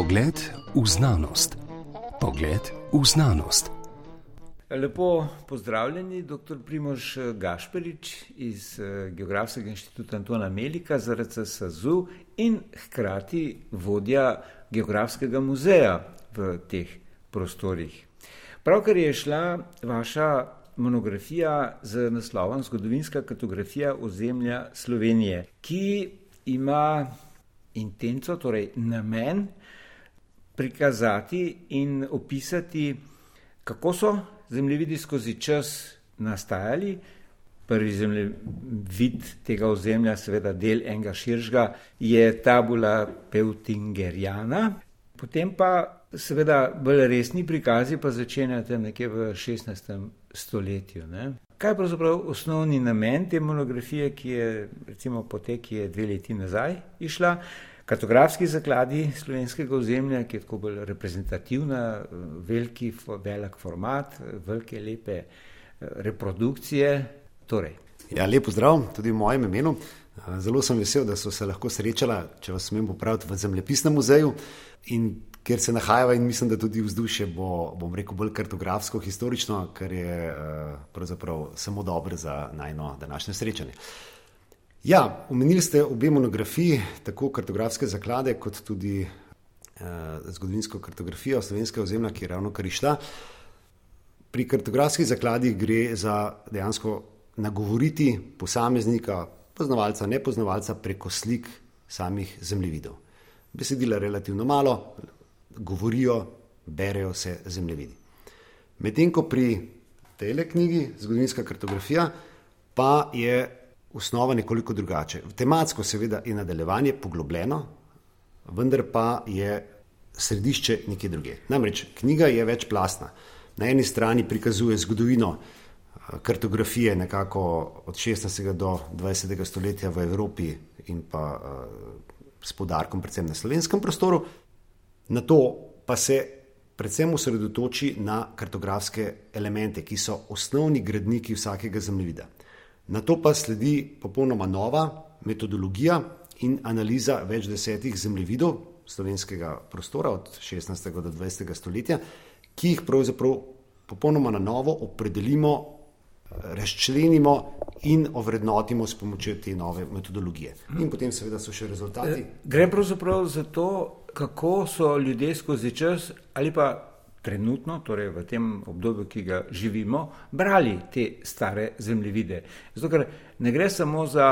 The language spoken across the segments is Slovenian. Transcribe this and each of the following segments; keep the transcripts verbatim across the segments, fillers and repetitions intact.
Pogled v znanost. Pogled v znanost. Lepo pozdravljeni, doktor Primož Gašperič iz Geografskega inštituta Antona Melika z R C S A Z U in hkrati vodja Geografskega muzeja v teh prostorih. Pravkar je šla vaša monografija z naslovom Zgodovinska kartografija ozemlja Slovenije, ki ima intenco, torej namen, prikazati in opisati, kako so zemljevidi skozi čas nastajali. Prvi zemljevid tega ozemlja, seveda del enega širšega, je tabula Peutingeriana. Potem pa seveda bolj resni prikazi pa začenjate nekje v šestnajstem stoletju. Ne? Kaj je pravzaprav osnovni namen te monografije, ki je recimo potek, ki je dve leti nazaj išla? Kartografski zakladi slovenskega ozemlja, ki je tako bolj reprezentativna, veliki, velik format, velike, lepe reprodukcije. Torej. Ja, lep pozdrav tudi v mojem imenu. Zelo sem vesel, da so se lahko srečala, če vas smem popraviti, v Zemljepisnem muzeju, in kjer se nahajava in mislim, da tudi vzdušje bo, bom rekel, bolj kartografsko, historično, kar je pravzaprav samo dobro za najno današnje srečanje. Ja, omenili ste obe monografiji, tako kartografske zaklade, kot tudi eh, zgodovinsko kartografijo slovenskega ozemlja, ki je ravno kar išla. Pri kartografskih zakladih gre za dejansko nagovoriti posameznika, poznavalca, nepoznavalca preko slik samih zemljevidov. Besedila relativno malo, govorijo, berejo se zemljevidi. Medtem ko pri tejle knjigi, zgodovinska kartografija, pa je osnova nekoliko drugače. Tematsko seveda je nadaljevanje poglobljeno, vendar pa je središče nekje druge. Namreč knjiga je večplastna. Na eni strani prikazuje zgodovino kartografije nekako od šestnajstega do dvajsetega stoletja v Evropi in pa s poudarkom predvsem na slovenskem prostoru. Nato pa se predvsem osredotoči na kartografske elemente, ki so osnovni gradniki vsakega zemljevida. Nato pa sledi popolnoma nova metodologija in analiza več desetih zemljevidov slovenskega prostora od šestnajstega do dvajsetega stoletja, ki jih pravzaprav popolnoma na novo opredelimo, razčlenimo in ovrednotimo s pomočjo te nove metodologije. In potem seveda so še rezultati. Gre pravzaprav za to, kako so ljudje skozi čas ali pa trenutno, torej v tem obdobju, ki ga živimo, brali te stare zemljevide. Zato, ker ne gre samo za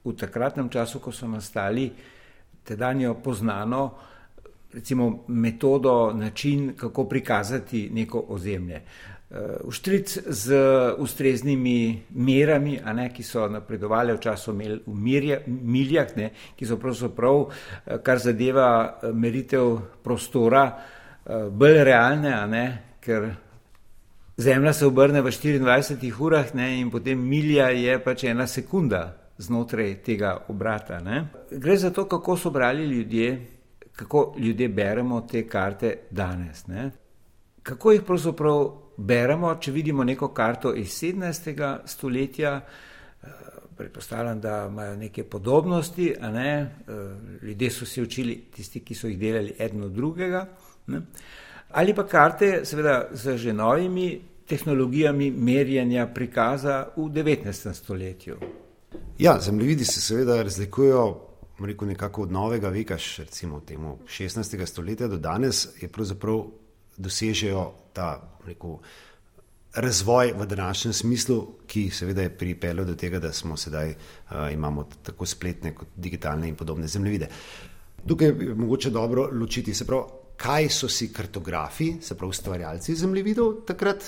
v takratnem času, ko so nastali, tedanjo poznano, recimo metodo, način, kako prikazati neko ozemlje. Vštric z ustreznimi merami, a ne, ki so napredovali v času v mirja, miljah, ne, ki so pravzaprav, kar zadeva meritev prostora, bolj realne, a ne, ker Zemlja se obrne v štiriindvajsetih urah, ne, in potem milja je pač ena sekunda znotraj tega obrata. Ne. Gre za to, kako so brali ljudje, kako ljudje beremo te karte danes. Ne. Kako jih pravzaprav beremo, če vidimo neko karto iz sedemnajstega stoletja, predpostavljam, da imajo neke podobnosti, a ne, ljudje so se učili, tisti, ki so jih delali eden od drugega, ne? Ali pa karte seveda z že novimi tehnologijami merjenja prikaza v devetnajstem stoletju. Ja, zemljevidi se seveda razlikujejo, rekel, nekako od novega veka, recimo temu šestnajstega stoletja do danes, je pravzaprav dosežejo ta, rekel, razvoj v današnjem smislu, ki seveda je pripeljal do tega, da smo sedaj uh, imamo tako spletne kot digitalne in podobne zemljevide. Tukaj je mogoče dobro ločiti, se pravi, kaj so si kartografi, se pravi ustvarjalci zemljevidov, takrat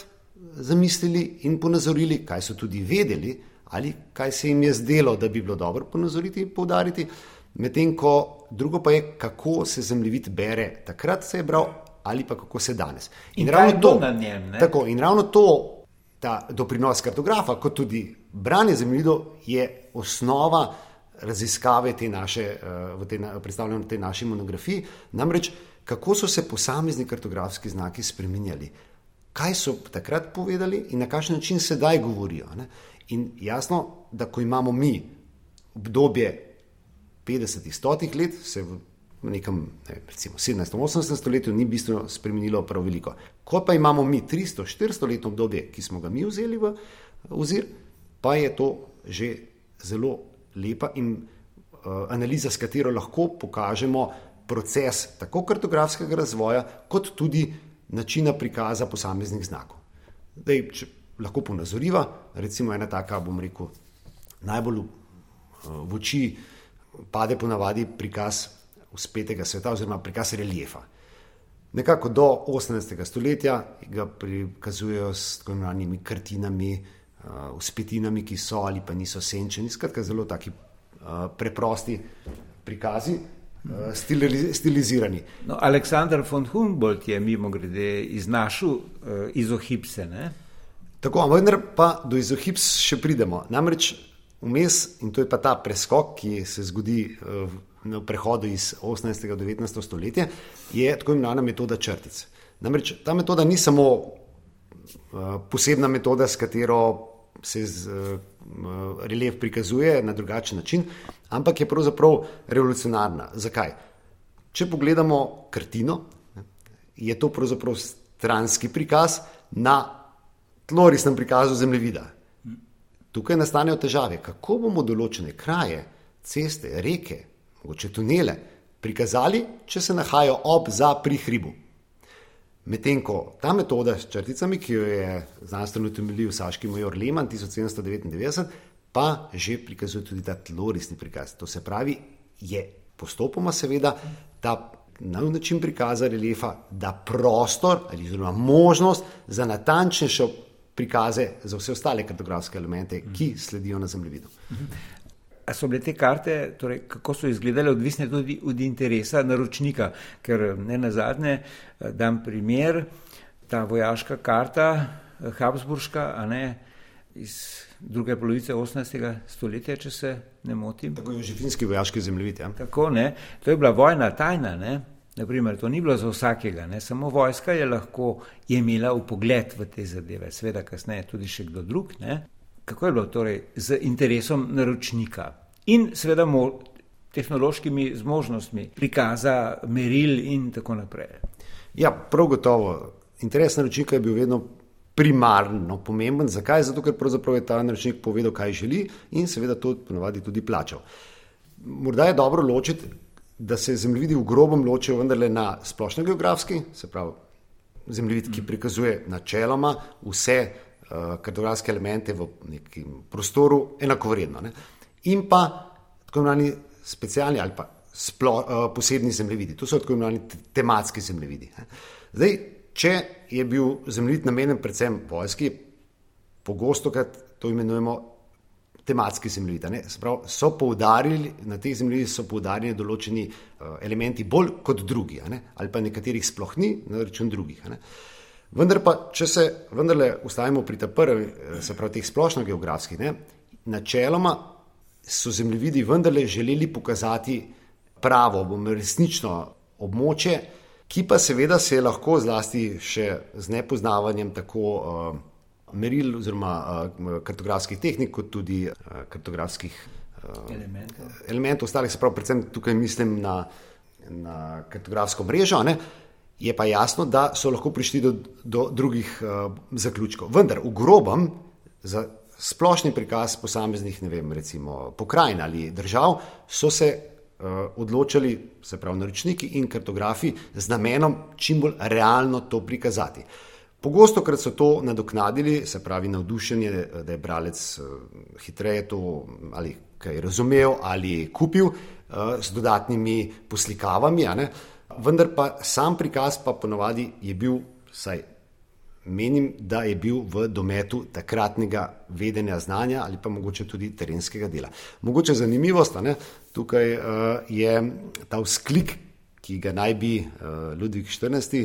zamislili in ponazorili, kaj so tudi vedeli ali kaj se jim je zdelo, da bi bilo dobro ponazoriti in poudariti, medtem ko drugo pa je, kako se zemljevid bere takrat se je bral ali pa kako se danes. In, in ravno to, na njem, ne? Tako, in ravno to, ta doprinos kartografa, kot tudi branje zemljevidov, je osnova raziskave te naše, v te, predstavljamo te naši monografiji, namreč kako so se posamezni kartografski znaki spreminjali, kaj so takrat povedali in na kakšen način sedaj govorijo. Ne? In jasno, da ko imamo mi obdobje petdesetih, stotih let, se v v nekem, ne, recimo sedemnajstem, osemnajstem stoletju ni bistveno spremenilo prav veliko. Ko pa imamo mi tristo, štiristo letno obdobje, ki smo ga mi vzeli v ozir, pa je to že zelo lepa in uh, analiza, s katero lahko pokažemo proces tako kartografskega razvoja, kot tudi načina prikaza posameznih znakov. Zdaj, če lahko ponazoriva, recimo ena taka, bom rekel, najbolj v oči pade ponavadi prikaz vzpetega sveta oziroma prikaz reliefa. Nekako do osemnajstega stoletja ga prikazujejo s tako imenovanimi kartinami, vzpetinami, ki so ali pa niso senčeni, skratka zelo taki preprosti prikazi, stilizirani. No, Alexander von Humboldt je mimo grede iznašel uh, izohipse, ne? Tako, vendar pa do izohips še pridemo. Namreč vmes, in to je pa ta preskok, ki se zgodi uh, na prehodu iz osemnajstega do devetnajstega stoletja, je tako imenovana metoda črtic. Namreč ta metoda ni samo uh, posebna metoda, s katero se z, uh, relief prikazuje na drugačen način, ampak je pravzaprav revolucionarna. Zakaj? Če pogledamo kartino, je to pravzaprav stranski prikaz na tlorisnem prikazu zemljevida. Tukaj nastanejo težave, kako bomo določene kraje, ceste, reke, mogoče tunele prikazali, če se nahajajo ob, za, pri hribu. Medtem ko ta metoda s črticami, ki jo je znanstveno utemeljil saški major Lehmann tisoč sedemsto devetindevetdeset, pa že prikazuje tudi ta tlorisni prikaz. To se pravi, je postopoma seveda ta nov način prikaza reliefa, da prostor ali oziroma možnost za natančnejše prikaze za vse ostale kartografske elemente, ki sledijo na zemljevidu. A so bile te karte, torej kako so izgledale, odvisne tudi od interesa naročnika, ker ne nazadnje dam primer, ta vojaška karta Habsburška, a ne, iz druge polovice osemnajstega stoletja, če se ne motim. Tako je jožefinski vojaški zemljevid, ja. Tako, ne, to je bila vojna tajna, ne, naprimer, to ni bilo za vsakega, ne, samo vojska je lahko je imela vpogled v te zadeve, seveda kasneje tudi še kdo drug, ne. Kako je bilo torej z interesom naročnika in seveda mo, tehnološkimi zmožnostmi prikaza, meril in tako naprej? Ja, prav gotovo. Interes naročnika je bil vedno primarno pomemben. Zakaj? Zato, ker pravzaprav je ta naročnik povedal, kaj želi in seveda to ponavadi tudi plačal. Morda je dobro ločiti, da se zemljevidi v grobem ločijo vendarle na splošno geografski, se pravi zemljevid, ki prikazuje načeloma vse kartografske elemente v nekem prostoru enakovredno. Ne? In pa tako imenovani specialni ali pa splo, posebni zemljevidi. To so tako imenovani tematski zemljevidi. Ne? Zdaj, če je bil zemljevid namenjen predvsem vojski, pogostokrat to imenujemo tematski zemljevid. Ne? Se pravi, so poudarili, na teh zemljevidih so poudarjeni določeni elementi bolj kot drugi, ne? Ali pa nekaterih sploh ni, na račun drugih. Ne? Vendar pa, če se vendarle ustavimo pri ta prvi, se pravi teh splošno geografskih, ne, načeloma so zemljevidi vendarle želeli pokazati pravo, bom resnično območje, ki pa seveda se je lahko zlasti še z nepoznavanjem tako uh, meril oziroma uh, kartografskih tehnik, kot tudi uh, kartografskih uh, elementov. elementov ostalih, se pravi, predvsem tukaj mislim na, na kartografsko mrežo, ne. Je pa jasno, da so lahko prišli do, do drugih uh, zaključkov. Vendar v grobem za splošni prikaz posameznih, ne vem, recimo pokrajin ali držav so se uh, odločali, se pravi naročniki in kartografi, z namenom čim bolj realno to prikazati. Pogosto krat so to nadoknadili, se pravi navdušenje, da je bralec uh, hitreje to ali kaj razumel ali kupil uh, s dodatnimi poslikavami, a ne? Vendar pa sam prikaz pa ponovadi je bil, saj menim, da je bil v dometu takratnega vedenja znanja ali pa mogoče tudi terenskega dela. Mogoče zanimivost, ne? Tukaj uh, je ta vzklik, ki ga naj bi uh, Ludvik štirinajsti,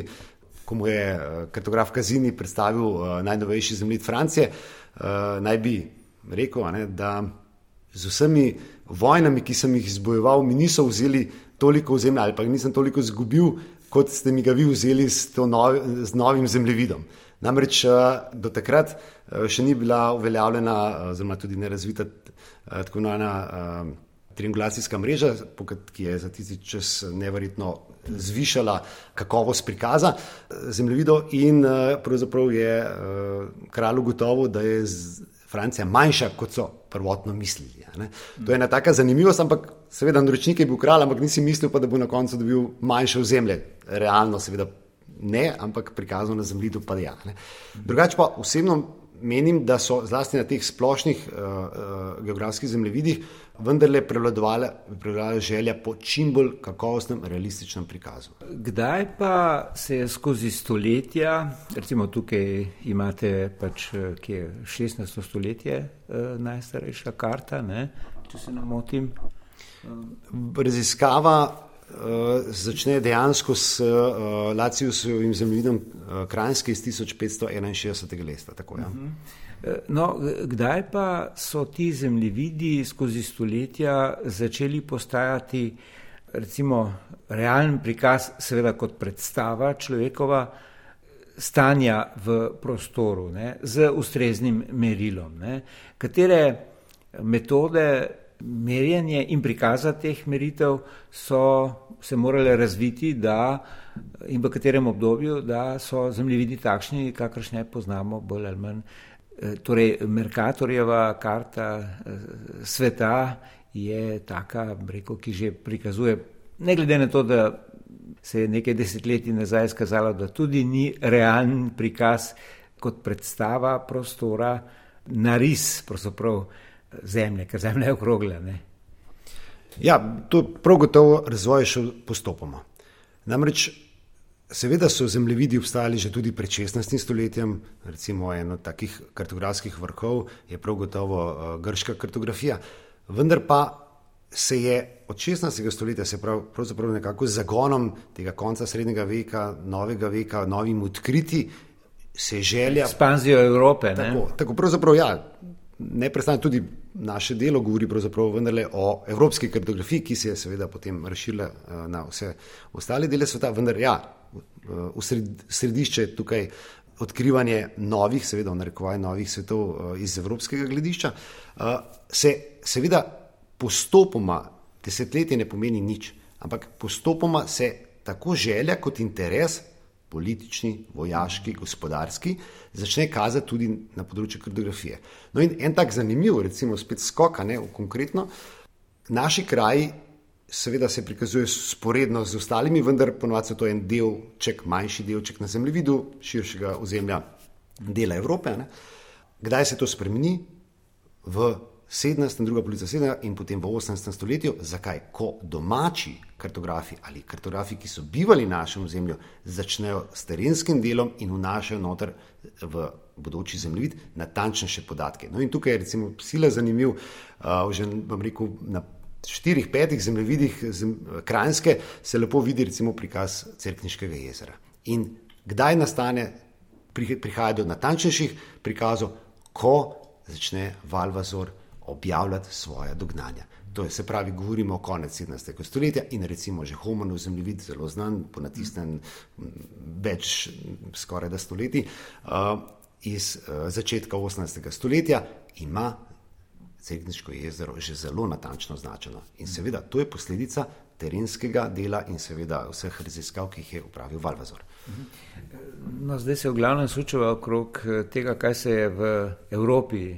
ko mu je uh, kartograf Kazini predstavil uh, najnovejši zemljevid Francije, uh, naj bi rekel, ne, da z vsemi vojnami, ki sem jih izbojeval, mi niso vzeli toliko ozemlja ali pa nisem toliko izgubil, kot ste mi ga vi vzeli s, to novi, z novim zemljevidom. Namreč do takrat še ni bila uveljavljena, oziroma tudi nerazvita tako imenovana triangulacijska mreža, ki je za tisti čas neverjetno zvišala kakovost prikaza zemljevidov in pravzaprav je kralj ugotovil, da je Francija manjša, kot so prvotno mislili. Ne? To je ena taka zanimivost, ampak seveda naročnik je bil kralj, ampak nisi mislil pa, da bo na koncu dobil manjše ozemlje. Realno seveda ne, ampak prikazano na zemljevidu pa ja. Ne? Drugače pa osebno menim, da so zlasti na teh splošnih uh, uh, geografskih zemljevidih vendarle prevladovala, prevladovala želja po čim bolj kakovostnem, realističnem prikazu. Kdaj pa se je skozi stoletja, recimo tukaj imate pač kje šestnajsto stoletje uh, najstarejša karta, ne, če se ne motim? Raziskava uh, začne dejansko s uh, Laciusovim zemljevidom uh, Kranjske iz tisoč petsto enainšestdesetega leta. Tako, ja. No, kdaj pa so ti zemljevidi skozi stoletja začeli postajati recimo realen prikaz, seveda kot predstava človekova stanja v prostoru, ne, z ustreznim merilom, ne? Katere metode merjenja in prikaza teh meritev so se morale razviti, da in v katerem obdobju, da so zemljevidi takšni, kakršne poznamo bolj ali manj. Torej, Mercatorjeva karta sveta je taka, rekel, ki že prikazuje, ne glede na to, da se je nekaj desetletij nazaj skazalo, da tudi ni realen prikaz kot predstava prostora, naris pravzaprav zemlje, ker zemlja je okrogla. Ne? Ja, to prav gotovo razvoj je šel postopoma. Namreč seveda so zemljevidi obstajali že tudi pred šestnajstim stoletjem, recimo eno od takih kartografskih vrhov je prav gotovo uh, grška kartografija, vendar pa se je od šestnajstega stoletja, se prav, pravzaprav nekako z zagonom tega konca srednjega veka, novega veka, novim odkriti, se želja... Ekspanzijo Evrope, ne? Tako, tako pravzaprav ja, neprestano tudi naše delo govori pravzaprav vendarle o evropski kartografiji, ki se je seveda potem razširila uh, na vse ostale dele sveta, vendar ja, v središče tukaj odkrivanje novih, seveda v narekovaj novih svetov iz evropskega gledišča, se seveda postopoma, desetletje ne pomeni nič, ampak postopoma se tako želja kot interes, politični, vojaški, gospodarski, začne kazati tudi na področju kartografije. No in en tak zanimiv, recimo spet skoka, ne, konkretno, naši kraji seveda se prikazuje sporedno z ostalimi, vendar ponovadi so to en delček, manjši delček na zemljevidu širšega ozemlja dela Evrope. Ne. Kdaj se to spremeni? V sedemnajstem, druga polovica sedemnajstega in potem v osemnajstem stoletju. Zakaj? Ko domači kartografi ali kartografi, ki so bivali na našem ozemlju, začnejo s terenskim delom in vnašajo noter v bodoči zemljevid natančnejše podatke. No in tukaj je recimo sila zanimiv, uh, že vam rekel, na štirih, petih zemljevidih zem, Kranjske se lepo vidi recimo prikaz Cerkniškega jezera. In kdaj nastane, prihaja do natančnejših prikazov, ko začne Valvazor objavljati svoja dognanja. To je, se pravi, govorimo o konec sedemnajstega stoletja in recimo že Homonov zemljevid, zelo znan, ponatisnen več skoraj da stoletij, uh, iz uh, začetka osemnajstega stoletja ima Cerkniško jezero že zelo natančno označeno. In seveda, to je posledica terenskega dela in seveda vseh raziskav, ki jih je upravil Valvazor. No, zdaj se v glavnem sučeva okrog tega, kaj se je v Evropi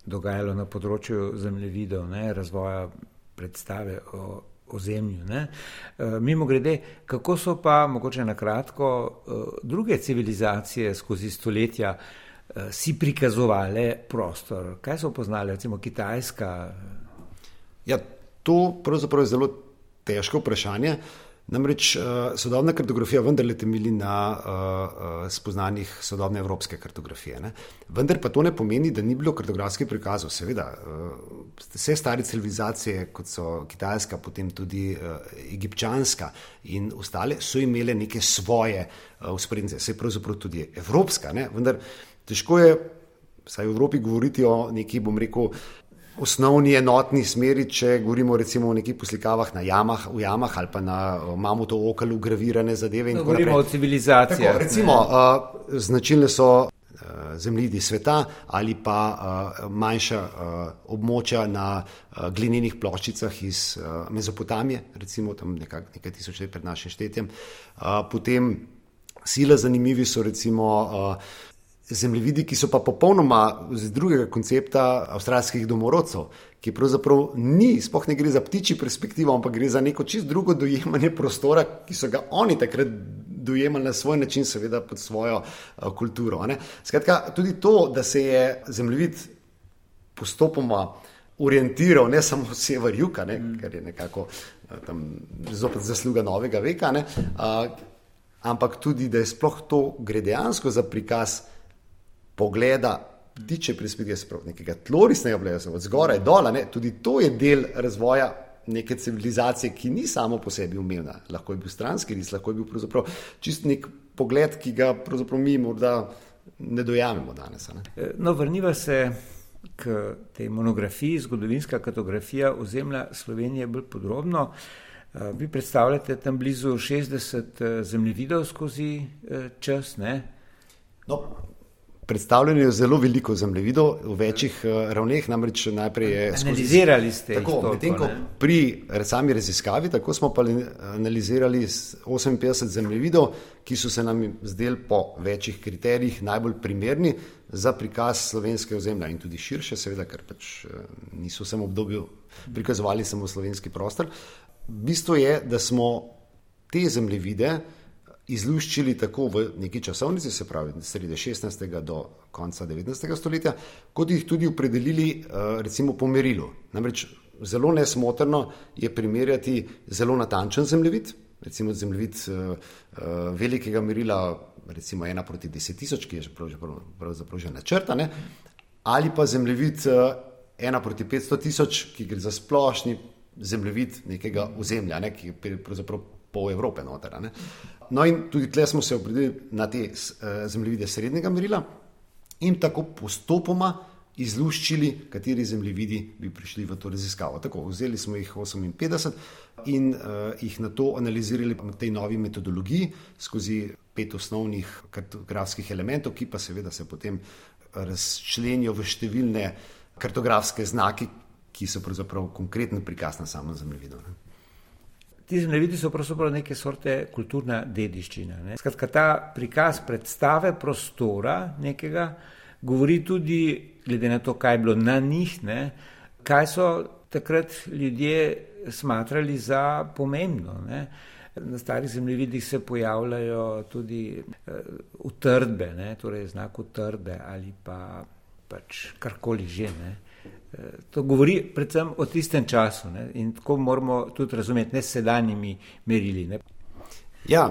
dogajalo na področju zemljevidov, ne, razvoja predstave o, o zemlju. Ne. Mimo grede, kako so pa, mogoče na kratko, druge civilizacije skozi stoletja si prikazovali prostor? Kaj so poznali, recimo Kitajska? Ja, to pravzaprav je zelo težko vprašanje. Namreč uh, sodobna kartografija vendarle temelji na uh, uh, spoznanjih sodobne evropske kartografije. Ne? Vendar pa to ne pomeni, da ni bilo kartografskih prikazov. Seveda, uh, vse stare civilizacije, kot so Kitajska, potem tudi uh, egipčanska in ostale, so imele neke svoje vzporednice. Uh, Vse pravzaprav tudi evropska, ne? Vendar težko je, vsaj v Evropi, govoriti o neki, bom rekel, osnovni enotni smeri, če govorimo recimo o nekih poslikavah na jamah, v jamah ali pa na mamutov okelu gravirane zadeve. In no, govorimo naprej. O civilizacijah. Tako, recimo, uh, značilne so zemljidi sveta ali pa manjša območja na glinenih ploščicah iz Mezopotamije, recimo tam nekaj, nekaj tisoč let pred našim štetjem. Potem sila zanimivi so recimo zemljevidi, ki so pa popolnoma z drugega koncepta avstralskih domorodcev, ki pravzaprav ni, sploh ne gre za ptičji perspektivo, ampak gre za neko čist drugo dojemanje prostora, ki so ga oni takrat dojemali na svoj način, seveda pod svojo uh, kulturo. Ne? Skratka, tudi to, da se je zemljevid postopoma orientiral, ne samo sever-jug, mm. kar je nekako uh, tam zopet zasluga novega veka, ne? Uh, ampak tudi, da je sploh to gre dejansko za prikaz pogleda ptiče perspektive, se pravi nekega tlorisnega pogleda, od zgoraj dola, ne? Tudi to je del razvoja neke civilizacije, ki ni samo po sebi umevna. Lahko je bil stranski ris, lahko je bil pravzaprav čist nek pogled, ki ga pravzaprav mi morda ne dojamemo danes. Ne? No, vrniva se k tej monografiji, zgodovinska kartografija ozemlja Slovenije bolj podrobno. Vi predstavljate tam blizu šestdeset zemljevidov skozi čas, ne? No, predstavljeno je zelo veliko zemljevidov v večjih uh, ravneh, namreč najprej je skozi... Analizirali ste tako, jih medtem ko pri sami raziskavi, tako smo pa analizirali oseminpetdeset zemljevidov, ki so se nam zdeli po večjih kriterijih najbolj primerni za prikaz slovenske ozemlja in tudi širše, seveda, ker pač niso samo obdobju prikazovali samo slovenski prostor. Bistvo je, da smo te zemljevide izluščili tako v neki časovnici, se pravi sredi šestnajstega do konca devetnajstega stoletja, kot jih tudi opredelili recimo po merilu. Namreč zelo nesmotrno je primerjati zelo natančen zemljevid, recimo zemljevid velikega merila, recimo ena proti deset tisoč, ki je pravzaprav že načrta, ali pa zemljevid ena proti petsto tisoč, ki gre za splošni zemljevid nekega ozemlja, ne, ki je pravzaprav pol Evrope noter. Ne. No in tudi tle smo se opredelili na te zemljevide srednjega merila in tako postopoma izluščili, kateri zemljevidi bi prišli v to raziskavo. Tako, vzeli smo jih oseminpetdeset in uh, jih na to analizirali v tej novi metodologiji skozi pet osnovnih kartografskih elementov, ki pa seveda se potem razčlenijo v številne kartografske znaki, ki so pravzaprav konkreten prikaz na samem zemljevidu. Ne. Ti zemljevidi so pravzaprav neke sorte kulturna dediščina. Ne? Skratka, ta prikaz predstave prostora nekega govori tudi, glede na to, kaj je bilo na njih, ne? Kaj so takrat ljudje smatrali za pomembno. Ne? Na starih zemljevidih se pojavljajo tudi uh, utrdbe, ne? Torej znak utrdbe ali pa pač karkoli že, ne? To govori predvsem o tistem času, ne? In tako moramo tudi razumeti, ne s sedanjimi merili. Ne? Ja,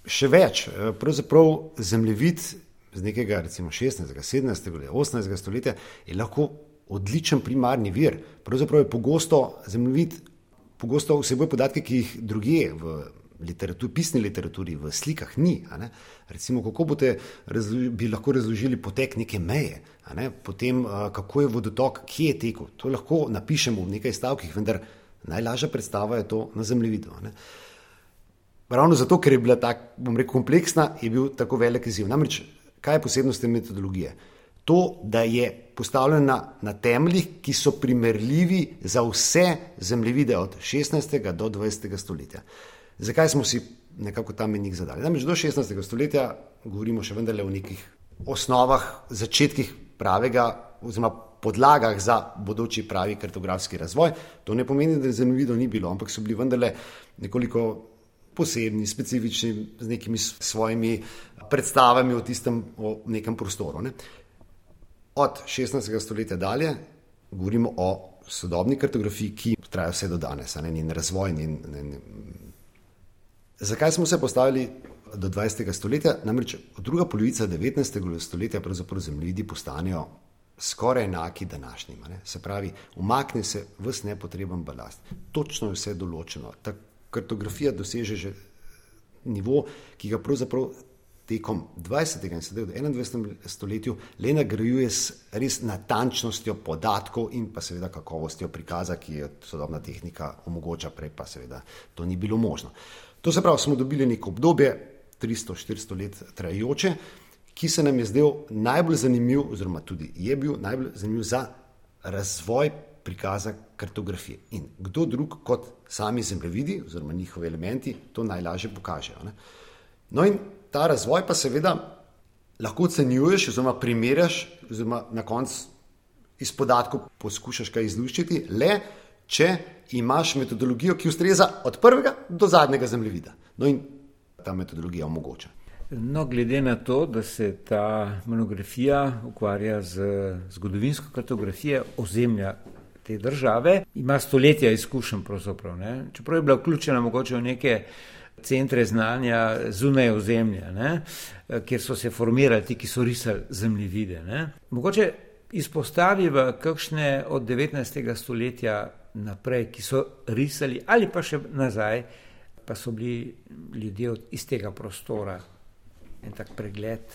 še več. Pravzaprav zemljevid z nekega recimo šestnajstega, sedemnajstega, osemnajstega stoletja je lahko odličen primarni vir. Pravzaprav je pogosto zemljevid pogosto vseboj podatke, ki jih drugje v literaturi, pisni literaturi, v slikah ni. A ne? Recimo, kako bote razloži, bi lahko razložili potek neke meje, a ne? Potem kako je vodotok, kje je tekel. To lahko napišemo v nekaj stavkih, vendar najlažja predstava je to na zemljevidu. A ne? Ravno zato, ker je bila tak, bom rekel, kompleksna, je bil tako velik izziv. Namreč, kaj je posebnost te metodologije? To, da je postavljena na temeljih, ki so primerljivi za vse zemljevide od šestnajstega do dvajsetega stoletja. Zakaj smo si nekako ta menik zadali? Namreč do šestnajstega stoletja govorimo še vendarle o nekih osnovah, začetkih pravega oziroma podlagah za bodoči pravi kartografski razvoj. To ne pomeni, da zemljevidov ni bilo, ampak so bili vendarle nekoliko posebni, specifični, z nekimi svojimi predstavami o tistem, o nekem prostoru. Ne? Od šestnajstega stoletja dalje govorimo o sodobni kartografiji, ki traja vse do danes, ne, njen razvoj. Njen, njen... Zakaj smo se postavili do dvajsetega stoletja? Namreč od druga polovica devetnajstega stoletja pravzaprav zemljevidi postanejo skoraj enaki današnjima. Ne. Se pravi, umakne se ves nepotreben balast. Točno je vse določeno. Ta kartografija doseže že nivo, ki ga pravzaprav tekom dvajsetega in sedaj v enaindvajsetem stoletju le nagrajuje s res natančnostjo podatkov in pa seveda kakovostjo prikaza, ki je sodobna tehnika omogoča, prej pa seveda to ni bilo možno. To se pravi, smo dobili neko obdobje, tristo štiristo let trajajoče, ki se nam je zdel najbolj zanimiv, oziroma tudi je bil najbolj zanimiv za razvoj prikaza kartografije. In kdo drug kot sami zemljevidi oziroma njihovi elementi to najlažje pokažejo. Ne? No in ta razvoj pa seveda lahko ocenjuješ oziroma primerjaš oziroma na koncu iz podatkov poskušaš kaj izluščiti, le če imaš metodologijo, ki ustreza od prvega do zadnjega zemljevida. No in ta metodologija omogoča. No, glede na to, da se ta monografija ukvarja z zgodovinsko kartografijo ozemlja te države, ima stoletja izkušenj pravzaprav, ne? Čeprav je bila vključena mogoče v neke centre znanja zunaj ozemlja, ne? Kjer so se formirali ti, ki so risali zemljevide. Ne? Mogoče izpostavi v kakšne od devetnajstega stoletja naprej, ki so risali ali pa še nazaj, pa so bili ljudje od istega prostora. En tak pregled.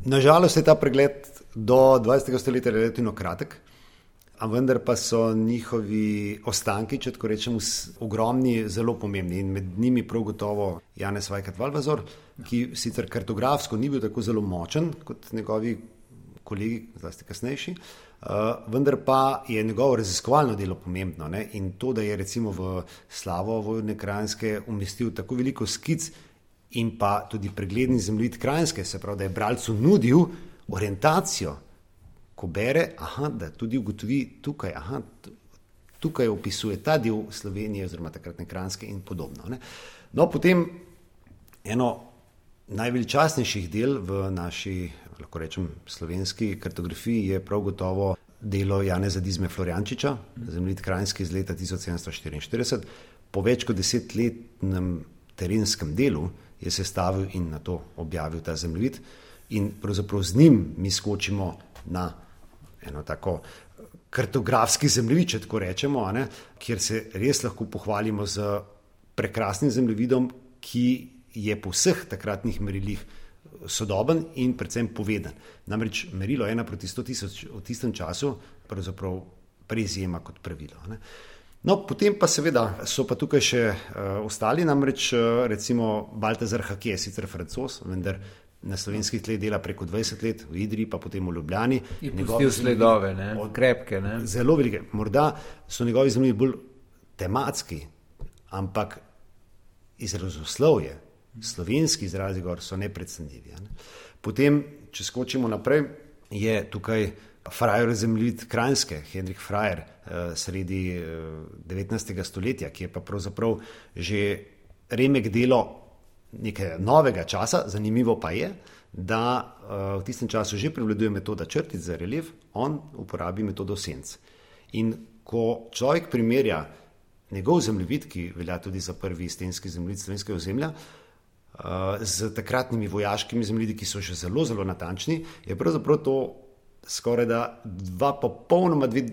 Nažalost je ta pregled do dvajsetega stoletja relativno kratek, a vendar pa so njihovi ostanki, če tako rečemo, ogromni, zelo pomembni. In med njimi prav gotovo Janez Vajkard-Valvazor, ki sicer kartografsko ni bil tako zelo močen kot njegovi kolegi, zlasti kasnejši, uh, vendar pa je njegovo raziskovalno delo pomembno. Ne? In to, da je recimo v slavo Vojvodine Kranjske umestil tako veliko skic in pa tudi pregledni zemljevid Kranjske, se pravi, da je bralcu nudil orientacijo, ko bere, aha, da tudi ugotovi tukaj, aha, tukaj opisuje ta del Slovenije oziroma takratne Kranjske in podobno. Ne? No, potem eno najveličastnejših del v naši, lahko rečem, slovenski kartografiji je prav gotovo delo Janeza Dizme Florjančiča, zemljevid Kranjske iz leta tisoč sedemsto štiriinštirideset. Po več kot desetletnem terenskem delu je sestavil in na to objavil ta zemljevid in pravzaprav z njim mi skočimo na eno tako kartografski zemljevid, če tako rečemo, a ne, kjer se res lahko pohvalimo z prekrasnim zemljevidom, ki je po vseh takratnih merilih sodoben in predvsem poveden. Namreč merilo ena proti sto tisoč v tistem času pravzaprav preizjema kot pravilo. Ne. No, potem pa seveda so pa tukaj še uh, ostali, namreč uh, recimo Baltazar Hake, sicer Francoz, vendar na slovenskih tleh dela preko dvajset let, v Idriji, pa potem v Ljubljani. Je pustil sledove, ne? Krepke. Ne? Zelo velike. Morda so njegovi zemljevidi bolj tematski, ampak izrazoslovje, slovenski izrazi gor so neprecenljivi. Ne? Potem, če skočimo naprej, je tukaj Frajer zemljevid Kranjske, Henrik Frajer, eh, sredi eh, devetnajstega stoletja, ki je pa pravzaprav že remek delo nekaj novega časa. Zanimivo pa je, da uh, v tistem času že prevladuje metoda črtic za relief, on uporabi metodo senc. In ko človek primerja njegov zemljevid, ki velja tudi za prvi stenski zemljevid slovenskega ozemlja, uh, z takratnimi vojaškimi zemljevidi, ki so že zelo, zelo natančni, je pravzaprav to skoraj da dva popolnoma dve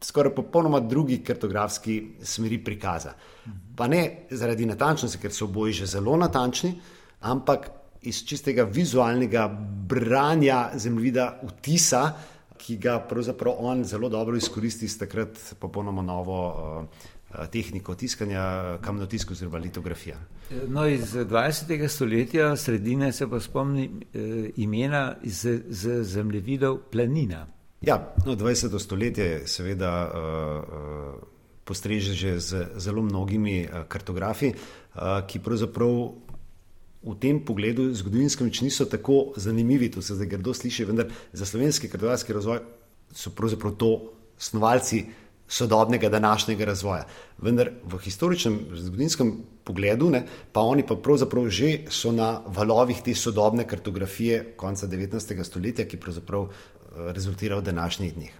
skoraj popolnoma drugi kartografski smeri prikaza. Pa ne zaradi natančnosti, ker so oboji že zelo natančni, ampak iz čistega vizualnega branja zemljevida vtisa, ki ga pravzaprav on zelo dobro izkoristi s takrat popolnoma novo uh, tehniko tiskanja, kamnotiska oziroma litografija. No, iz dvajsetega stoletja sredine se pa spomni uh, imena iz, z zemljevidov Planina. Ja, no, dvajseto stoletje seveda uh, uh, postreže že z zelo mnogimi uh, kartografi, uh, ki pravzaprav v tem pogledu zgodovinskem več niso tako zanimivi, to se zdaj grdo sliši, vendar za slovenski kartografski razvoj so pravzaprav to snovalci sodobnega današnjega razvoja. Vendar v historičnem zgodovinskem pogledu, ne, pa oni pa pravzaprav že so na valovih te sodobne kartografije konca devetnajstega stoletja, ki pravzaprav rezultira v današnjih dneh.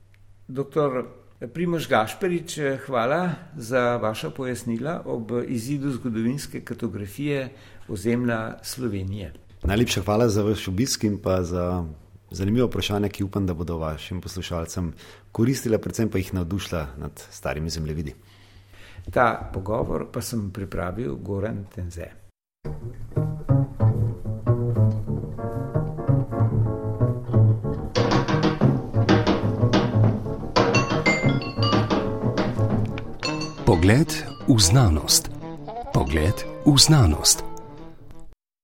Doktor Primož Gašperič, hvala za vaša pojasnila ob izidu zgodovinske kartografije ozemlja Slovenije. Najlepša hvala za vaš obisk in pa za zanimivo vprašanje, ki upam, da bodo vašim poslušalcem koristila, predvsem pa jih navdušila nad starimi zemljevidi. Ta pogovor pa sem pripravil Goran Tenze. Pogled v znanost. Pogled v znanost.